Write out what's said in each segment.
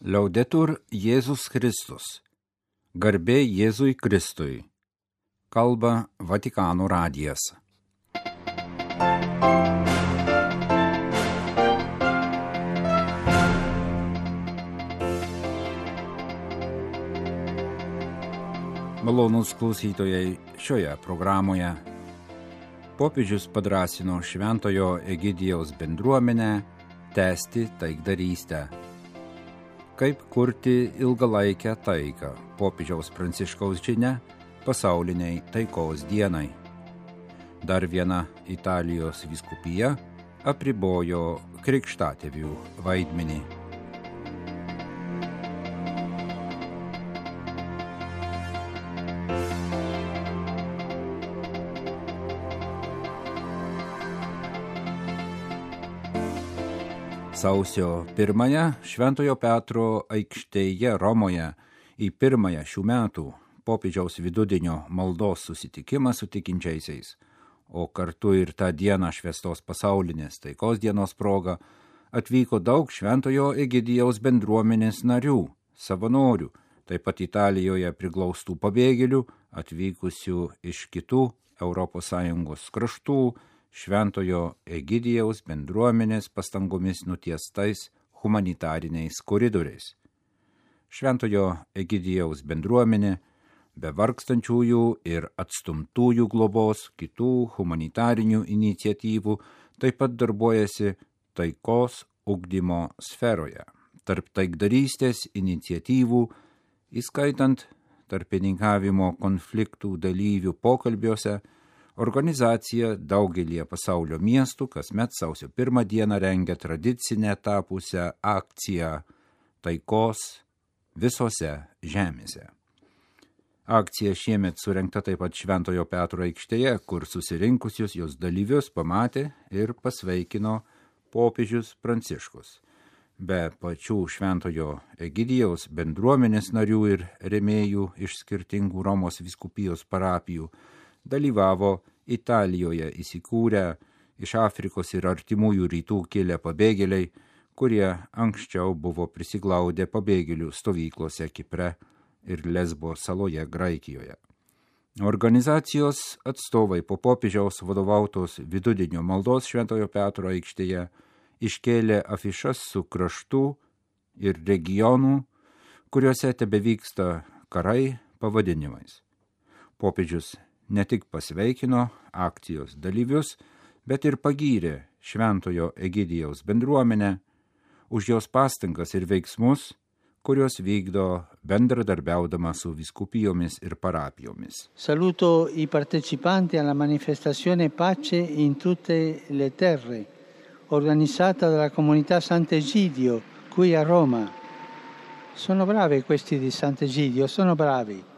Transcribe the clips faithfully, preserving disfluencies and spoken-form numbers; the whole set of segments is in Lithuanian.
Liaudetur Jėzus Kristus. Garbė Jėzui Kristui. Kalba Vatikano radijas. Malonūs klausytojai, šioje programoje popiežius padrąsino Šventojo Egidijaus bendruomenę tęsti taikdarystę. Kaip kurti ilgalaikę taiką, popiežiaus Pranciškaus žinia pasauliniai taikos dienai. Dar viena Italijos vyskupija apribojo krikštatėvių vaidmenį. Sausio pirmąją Šventojo Petro aikštėje Romoje į pirmąją šių metų popiežiaus vidudienio maldos susitikimą su tikinčiaisiais, o kartu ir tą dieną švęstos pasaulinės taikos dienos proga atvyko daug Šventojo Egidijaus bendruomenės narių, savanorių, taip pat Italijoje priglaustų pabėgėlių, atvykusių iš kitų Europos Sąjungos kraštų, Šventojo Egidijaus bendruomenės pastangomis nutiestais humanitariniais koridoriais. Šventojo Egidijaus bendruomenė be vargstančiųjų ir atstumtųjų globos kitų humanitarinių iniciatyvų taip pat darbuojasi taikos ugdymo sferoje. Tarp taikdarystės iniciatyvų, įskaitant tarpininkavimo konfliktų dalyvių pokalbiuose, organizacija daugelie pasaulio miestų kasmet sausio pirmą dieną rengia tradicinę tapusią akciją taikos visose žemėse. Akcija šiemet surengta taip pat Šventojo Petro aikštėje, kur susirinkusius jos dalyvius pamatė ir pasveikino popiežius Pranciškus. Be pačių Šventojo Egidijaus bendruomenės narių ir rėmėjų iš skirtingų Romos vyskupijos parapijų dalyvavo Italijoje įsikūrę iš Afrikos ir artimųjų rytų kilę pabėgėliai, kurie anksčiau buvo prisiglaudę pabėgėlių stovyklose Kipre ir Lesbo saloje Graikijoje. Organizacijos atstovai po popiežiaus vadovautos vidudienio maldos Šventojo Petro aikštėje iškėlė afišas su kraštų ir regionų, kuriuose tebevyksta karai pavadinimais. Popiežius ne tik pasveikino akcijos dalyvius, bet ir pagyrė Šventojo Egidijaus bendruomenę už jos pastangas ir veiksmus, kurios vykdo bendradarbiaudama su vyskupijomis ir parapijomis. Saluto i partecipanti alla manifestazione Pace in tutte le terre, organizzata dalla comunità Sant'Egidio qui a Roma. Sono bravi questi di Sant'Egidio, sono bravi.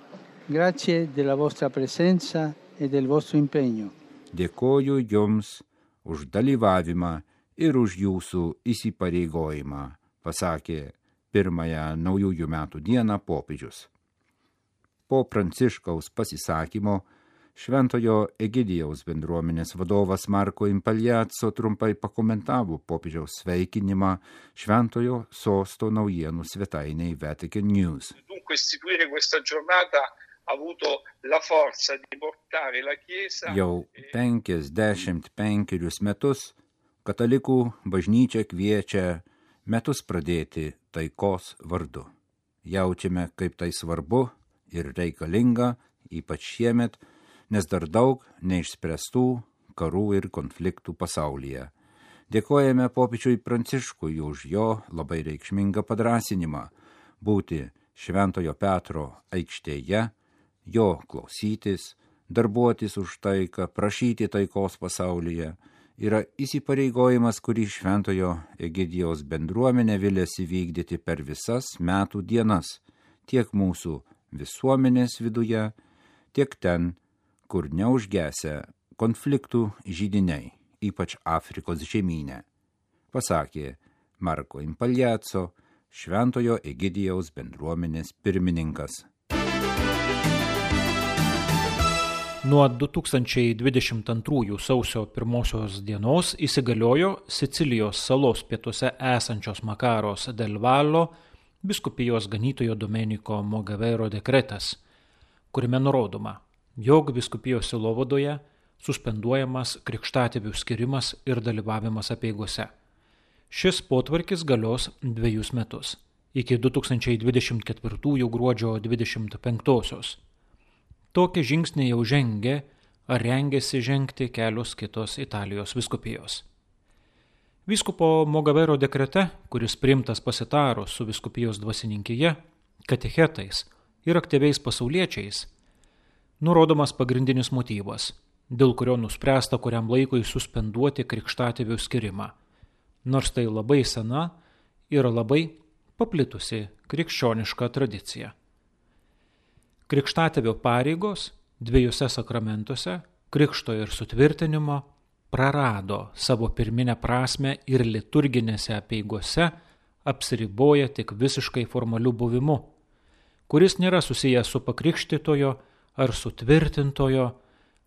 Grazie della vostra presenza e del vostro impegno. Dėkoju jums už dalyvavimą ir už jūsų įsipareigojimą, pasakė pirmąją naujųjų metų dieną popiežius. Po Pranciškaus pasisakymo Šventojo Egidijaus bendruomenės vadovas Marco Impagliazzo trumpai pakomentavo popiežiaus sveikinimą Šventojo sosto naujienų svetainei Vatican News. Dunque istituire questa giornata ha avuto la forza di portare la Chiesa. Jau penkiasdešimt penkerius metus katalikų bažnyčia kviečia metus pradėti taikos vardu. Jaučiame, kaip tai svarbu ir reikalinga, ypač šiemet, nes dar daug neišspręstų karų ir konfliktų pasaulyje. Dėkojame popiežiui Pranciškui už jo labai reikšmingą padrąsinimą būti Šventojo Petro aikštėje, jo klausytis, darbuotis už taiką, prašyti taikos pasaulyje, yra įsipareigojimas, kurį Šventojo Egidijaus bendruomenė viliasi vykdyti per visas metų dienas, tiek mūsų visuomenės viduje, tiek ten, kur neužgesia konfliktų židiniai, ypač Afrikos žemyne, pasakė Marco Impagliazzo, Šventojo Egidijaus bendruomenės pirmininkas. Nuo du tūkstančiai dvidešimt antrųjų sausio pirmosios dienos įsigaliojo Sicilijos salos pietuose esančios Makaros del Vallo Vyskupijos ganytojo Domeniko Mogavero dekretas, kuriame nurodoma, jog vyskupijos sielovadoje suspenduojamas krikštatėvių skirimas ir dalyvavimas apeigose. Šis potvarkis galios dviejus metus, iki du tūkstančiai dvidešimt ketvirtųjų gruodžio dvidešimt penktosios. Tokį žingsnį jau žengė ar rengėsi žengti kelios kitos Italijos vyskupijos. Vyskupo Mogavero dekrete, kuris priimtas pasitarus su vyskupijos dvasininkija, katechetais ir aktyviais pasauliečiais, nurodomas pagrindinis motyvas, dėl kurio nuspręsta kuriam laikui suspenduoti krikštatėvių skirimą, nors tai labai sena ir labai paplitusi krikščioniška tradicija. Krikštatėvio pareigos dviejose sakramentuose, krikšto ir sutvirtinimo, prarado savo pirminę prasmę ir liturginėse apeigose apsiriboja tik visiškai formaliu buvimu, kuris nėra susijęs su pakrikštytojo ar sutvirtintojo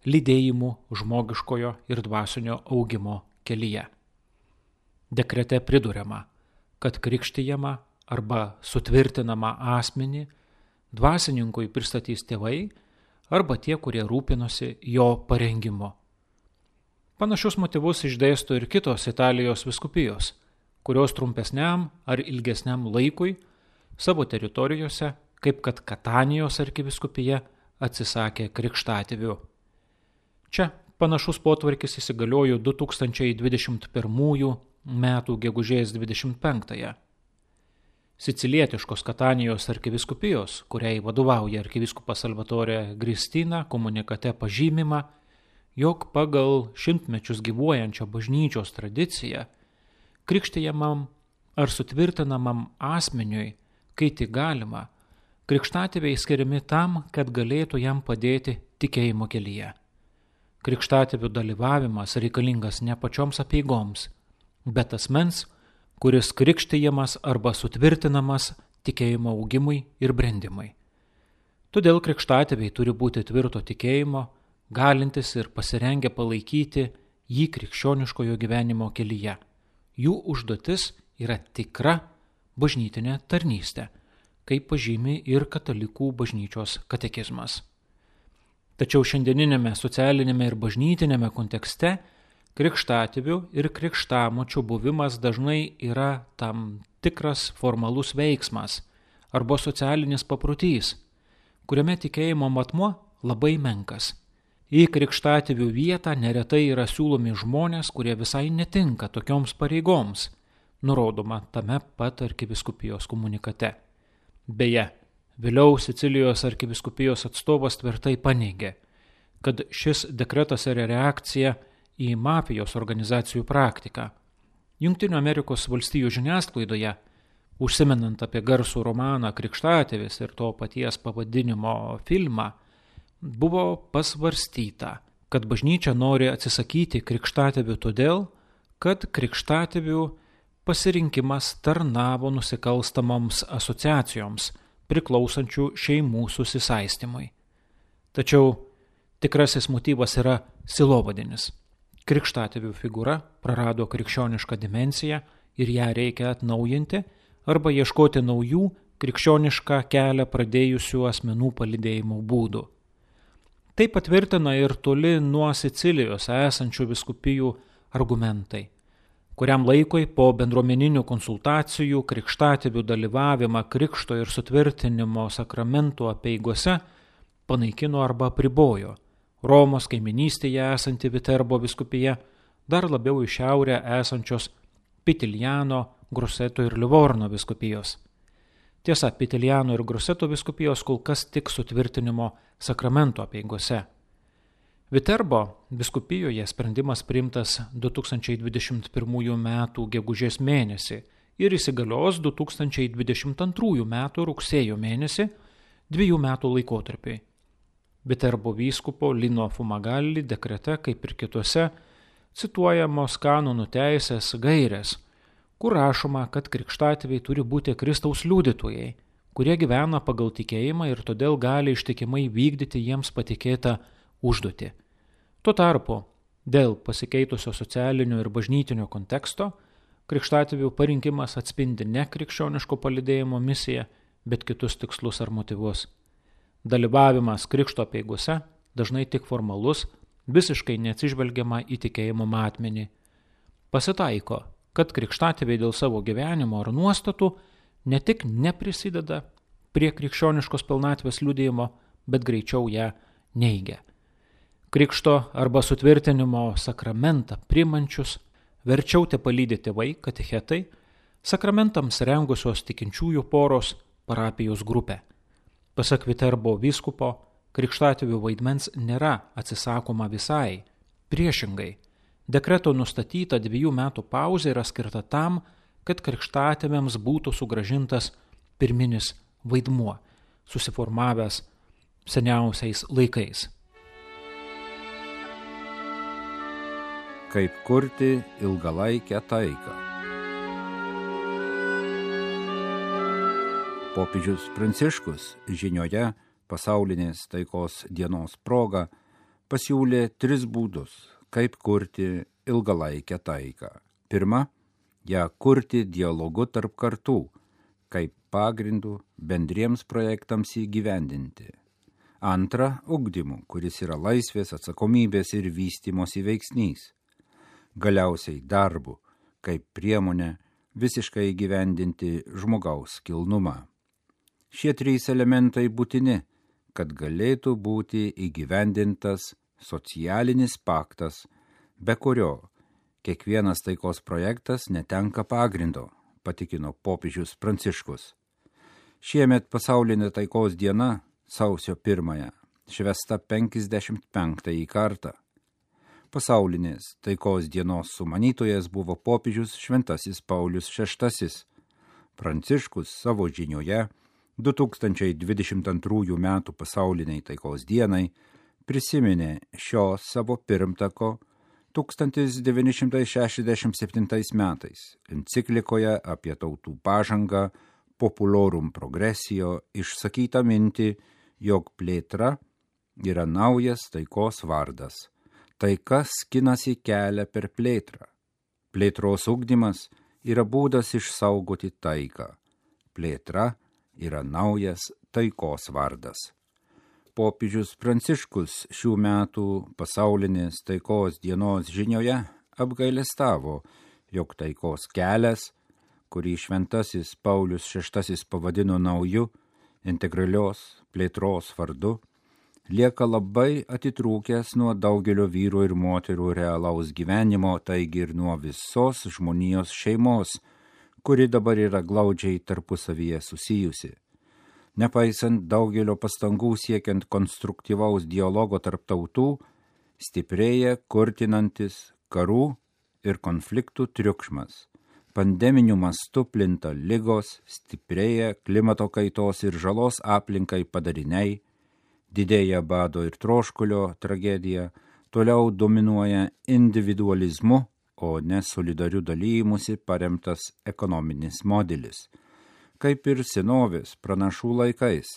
lydėjimu žmogiškojo ir dvasinio augimo kelyje. Dekrete priduriama, kad krikštijama arba sutvirtinama asmenį dvasininkui pristatys tėvai arba tie, kurie rūpinosi jo parengimu. Panašius motyvus išdėsto ir kitos Italijos vyskupijos, kurios trumpesniam ar ilgesniam laikui savo teritorijose, kaip kad Katanijos arkivyskupija, atsisakė krikštatėvių. Čia panašus potvarkis įsigaliojo du tūkstančiai dvidešimt pirmųjų metų gegužės dvidešimt penktąją. Sicilietiškos Katanijos arkivyskupijos, kuriai vadovauja arkivyskupas Salvatore Gristina, komunikate pažymima, jog pagal šimtmečius gyvuojančią bažnyčios tradiciją krikštijamam ar sutvirtinamam asmeniui, kai tik galima, krikštatėviai skiriami tam, kad galėtų jam padėti tikėjimo kelyje. Krikštatėvių dalyvavimas reikalingas ne pačioms apeigoms, bet asmens, kuris krikštijamas arba sutvirtinamas tikėjimo augimui ir brendimui. Todėl krikštatėviai turi būti tvirto tikėjimo, galintis ir pasirengę palaikyti jį krikščioniškojo gyvenimo kelyje. Jų užduotis yra tikra bažnytinė tarnystė, kaip pažymi ir katalikų bažnyčios katekizmas. Tačiau šiandieninėme socialinėme ir bažnytinėme kontekste krikštatėvių ir krikštamočių buvimas dažnai yra tam tikras formalus veiksmas arba socialinis paprotys, kuriame tikėjimo matmuo labai menkas. Į krikštatėvių vietą neretai yra siūlomi žmonės, kurie visai netinka tokioms pareigoms, nurodoma tame pat arkivyskupijos komunikate. Beje, vėliau Sicilijos arkivyskupijos atstovas tvirtai paneigė, kad šis dekretas yra reakcija į mafijos organizacijų praktiką. Jungtinių Amerikos valstijų žiniasklaidoje, užsimenant apie garsų romaną Krikštatėvis ir to paties pavadinimo filmą, buvo pasvarstyta, kad bažnyčia nori atsisakyti krikštatėvių todėl, kad krikštatėvių pasirinkimas tarnavo nusikalstamoms asociacijoms, priklausančių šeimų susisaistymui. Tačiau tikrasis motyvas yra silovadinis. Krikštatėvių figūra prarado krikščionišką dimensiją ir ją reikia atnaujinti arba ieškoti naujų krikščionišką kelią pradėjusių asmenų palydėjimo būdų. Tai patvirtina ir toli nuo Sicilijos esančių vyskupijų argumentai, kuriam laikui po bendruomeninių konsultacijų krikštatėvių dalyvavimą krikšto ir sutvirtinimo sakramentų apeigose panaikino arba apribojo Romos kaiminystėje esanti Viterbo vyskupija, dar labiau į šiaurę esančios Pitiljano, Gruseto ir Livorno vyskupijos. Tiesa, Pitiljano ir Gruseto vyskupijos kol kas tik sutvirtinimo sakramento apeigose. Viterbo vyskupijoje sprendimas priimtas du tūkstančiai dvidešimt pirmųjų metų gegužės mėnesį ir įsigalios du tūkstančiai dvidešimt antrųjų metų rugsėjo mėnesį dviejų metų laikotarpiai. Viterbo vyskupo Lino Fumagalli dekrete, kaip ir kitose, cituojamos kanonų teisės gairės, kur rašoma, kad krikštatėviai turi būti Kristaus liudytojai, kurie gyvena pagal tikėjimą ir todėl gali ištikimai vykdyti jiems patikėtą užduotį. Tuo tarpu, dėl pasikeitusio socialinio ir bažnytinio konteksto, krikštatėvių parinkimas atspindi ne krikščioniško palydėjimo misiją, bet kitus tikslus ar motyvus. Dalyvavimas krikšto apeigose dažnai tik formalus, visiškai neatsižvelgiama į tikėjimo matmenį. Pasitaiko, kad krikštatėviai dėl savo gyvenimo ar nuostatų ne tik neprisideda prie krikščioniškos pilnatvės liudijimo, bet greičiau ją neigia. Krikšto arba sutvirtinimo sakramentą priimančius verčiau te palydi tėvai, katechetai, sakramentams rengusios tikinčiųjų poros, parapijos grupė. Pasak Viterbo vyskupo, krikštatėvių vaidmens nėra atsisakoma visai. Priešingai, dekreto nustatyta dviejų metų pauzė yra skirta tam, kad krikštatėviams būtų sugrąžintas pirminis vaidmuo, susiformavęs seniausiais laikais. Kaip kurti ilgalaikę taiką. Popiežius Pranciškus žinioje pasaulinės taikos dienos proga pasiūlė tris būdus, kaip kurti ilgalaikę taiką. Pirma, ją kurti dialogu tarp kartų, kaip pagrindų bendriems projektams įgyvendinti. Antra, ugdymu, kuris yra laisvės, atsakomybės ir vystymosi veiksnys. Galiausiai darbu, kaip priemonė visiškai įgyvendinti žmogaus kilnumą. Šie trys elementai būtini, kad galėtų būti įgyvendintas socialinis paktas, be kurio kiekvienas taikos projektas netenka pagrindo, patikino popiežius Pranciškus. Šiemet pasaulinė taikos diena, sausio pirmąją, švęsta penkiasdešimt penktąjį kartą. Pasaulinės taikos dienos sumanytojas buvo popiežius Šventasis Paulius šeštasis. Pranciškus savo žinioje du tūkstančiai dvidešimt antrųjų metų pasauliniai taikos dienai prisiminė šio savo pirmtako tūkstantis devyni šimtai šešiasdešimt septintais metais enciklikoje apie tautų pažangą Populorum Progressio išsakytą mintį, jog plėtra yra naujas taikos vardas. Taika skinasi kelią per plėtrą. Plėtros ugdymas yra būdas išsaugoti taiką. Plėtra yra naujas taikos vardas. Popiežius Pranciškus šių metų pasaulinės taikos dienos žinioje apgailestavo, jog taikos kelias, kurį Šventasis Paulius šeštasis pavadino nauju, integralios plėtros vardu, lieka labai atitrūkęs nuo daugelio vyrų ir moterų realaus gyvenimo, taigi ir nuo visos žmonijos šeimos, kuri dabar yra glaudžiai tarpusavyje susijusi. Nepaisant daugelio pastangų siekiant konstruktyvaus dialogo tarp tautų, stiprėja kurtinantis karų ir konfliktų triukšmas. Pandeminiu mastu plinta ligos, stiprėja klimato kaitos ir žalos aplinkai padariniai, didėja bado ir troškulio tragedija, toliau dominuoja individualizmu, o ne solidariu dalymusi paremtas ekonominis modelis. Kaip ir senovės pranašų laikais,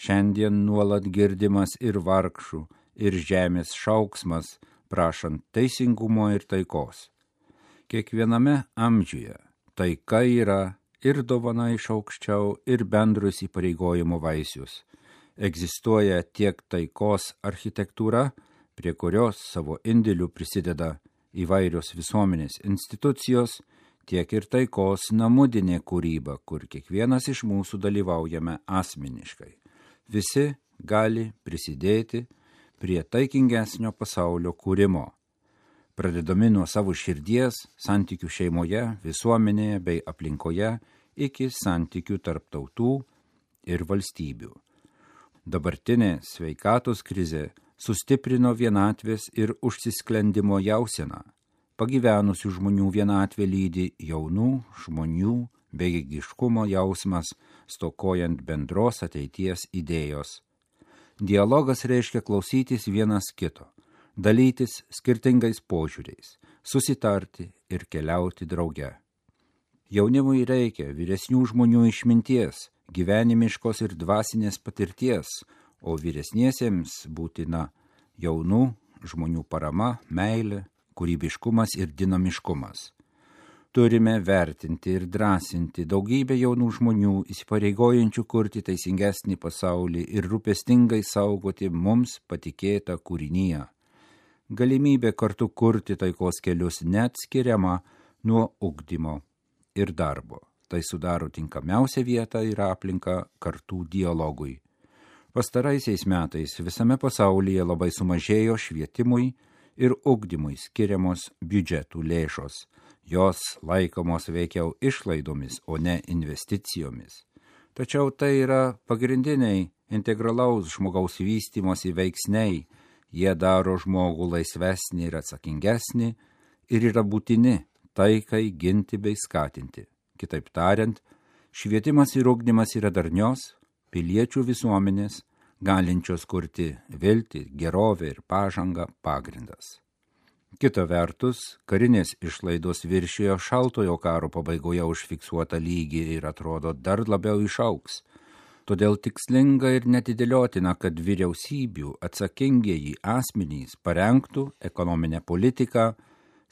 šiandien nuolat girdimas ir vargšų, ir žemės šauksmas, prašant teisingumo ir taikos. Kiekviename amžiuje taika yra ir dovana iš aukščiau, ir bendrus įpareigojimo vaisius. Egzistuoja tiek taikos architektūra, prie kurios savo indėlių prisideda įvairios visuomenės institucijos, tiek ir taikos namudinė kūryba, kur kiekvienas iš mūsų dalyvaujame asmeniškai. Visi gali prisidėti prie taikingesnio pasaulio kūrimo, pradedami nuo savo širdies, santykių šeimoje, visuomenėje bei aplinkoje, iki santykių tarp tautų ir valstybių. Dabartinė sveikatos krizė sustiprino vienatvės ir užsisklendimo jauseną. Pagyvenusių žmonių vienatvė lydi jaunų žmonių bejėgiškumo jausmas, stokojant bendros ateities idėjos. Dialogas reiškia klausytis vienas kito, dalytis skirtingais požiūriais, susitarti ir keliauti drauge. Jaunimui reikia vyresnių žmonių išminties, gyvenimiškos ir dvasinės patirties, o vyresniesiems būtina jaunų žmonių parama, meilė, kūrybiškumas ir dinamiškumas. Turime vertinti ir drąsinti daugybę jaunų žmonių įsipareigojančių kurti teisingesnį pasaulį ir rūpestingai saugoti mums patikėtą kūrinyje. Galimybė kartu kurti taikos kelius neatskiriama nuo ugdymo ir darbo. Tai sudaro tinkamiausią vietą ir aplinką kartų dialogui. Pastaraisiais metais visame pasaulyje labai sumažėjo švietimui ir ugdymui skiriamos biudžetų lėšos. Jos laikomos veikiau išlaidomis, o ne investicijomis. Tačiau tai yra pagrindiniai integralaus žmogaus vystymosi veiksniai. Jie daro žmogų laisvesnį ir atsakingesnį ir yra būtini taikai ginti bei skatinti. Kitaip tariant, švietimas ir ugdymas yra darnios piliečių visuomenės, galinčios kurti viltį, gerovę ir pažangą pagrindas. Kita vertus, karinės išlaidos viršijo šaltojo karo pabaigoje užfiksuotą lygį ir atrodo dar labiau išaugs. Todėl tikslinga ir netidėliotina, kad vyriausybių atsakingieji asmenys parengtų ekonominę politiką,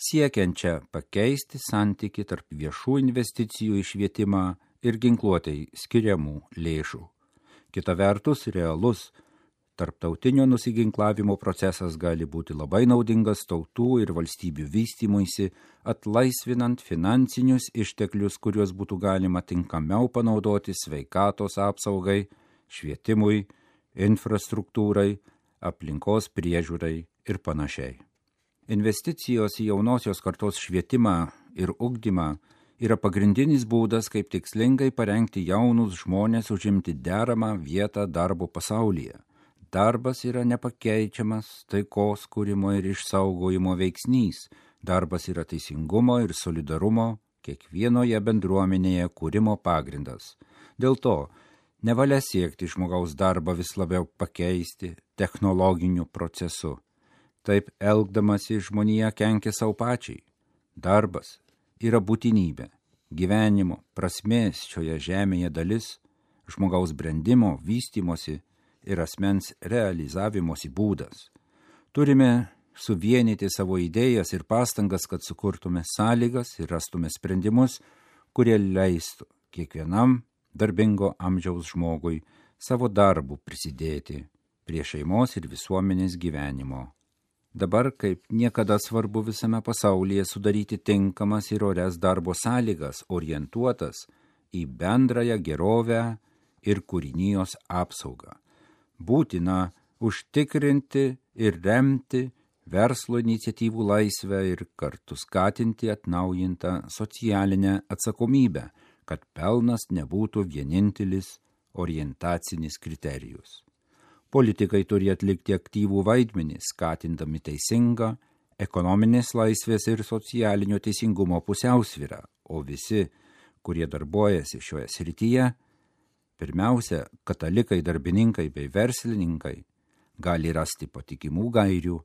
siekiančią pakeisti santykį tarp viešų investicijų į švietimą ir ginkluotei skiriamų lėšų. Kita vertus, realus tarptautinio nusiginklavimo procesas gali būti labai naudingas tautų ir valstybių vystymuisi, atlaisvinant finansinius išteklius, kuriuos būtų galima tinkamiau panaudoti sveikatos apsaugai, švietimui, infrastruktūrai, aplinkos priežiūrai ir panašiai. Investicijos į jaunosios kartos švietimą ir ugdymą yra pagrindinis būdas, kaip tikslingai parengti jaunus žmonės užimti deramą vietą darbo pasaulyje. Darbas yra nepakeičiamas taikos kūrimo ir išsaugojimo veiksnys. Darbas yra teisingumo ir solidarumo kiekvienoje bendruomenėje kūrimo pagrindas. Dėl to nevalia siekti žmogaus darbą vis labiau pakeisti technologiniu procesu. Taip elgdamasi žmonija kenkia savo pačiai. Darbas yra būtinybė, gyvenimo, prasmės šioje žemėje dalis, žmogaus brendimo, vystymosi ir asmens realizavimosi būdas. Turime suvienyti savo idėjas ir pastangas, kad sukurtume sąlygas ir rastume sprendimus, kurie leistų kiekvienam darbingo amžiaus žmogui savo darbu prisidėti prie šeimos ir visuomenės gyvenimo. Dabar kaip niekada svarbu visame pasaulyje sudaryti tinkamas ir orias darbo sąlygas, orientuotas į bendrąją gerovę ir kūrinijos apsaugą. Būtina užtikrinti ir remti verslo iniciatyvų laisvę ir kartu skatinti atnaujintą socialinę atsakomybę, kad pelnas nebūtų vienintelis orientacinis kriterijus. Politikai turi atlikti aktyvų vaidmenį, skatindami teisingą ekonominės laisvės ir socialinio teisingumo pusiausvyrą, o visi, kurie darbuojasi šioje srityje, pirmiausia, katalikai, darbininkai bei verslininkai, gali rasti patikimų gairių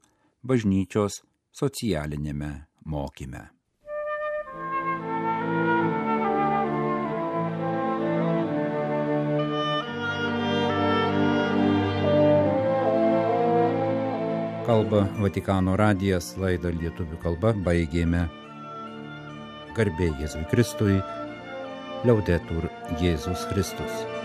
bažnyčios socialinėme mokyme. Kalba Vatikano radijas, laidą lietuvių kalba baigėme. Garbė Jėzui Kristui, Liaudetur Jėzus Kristus.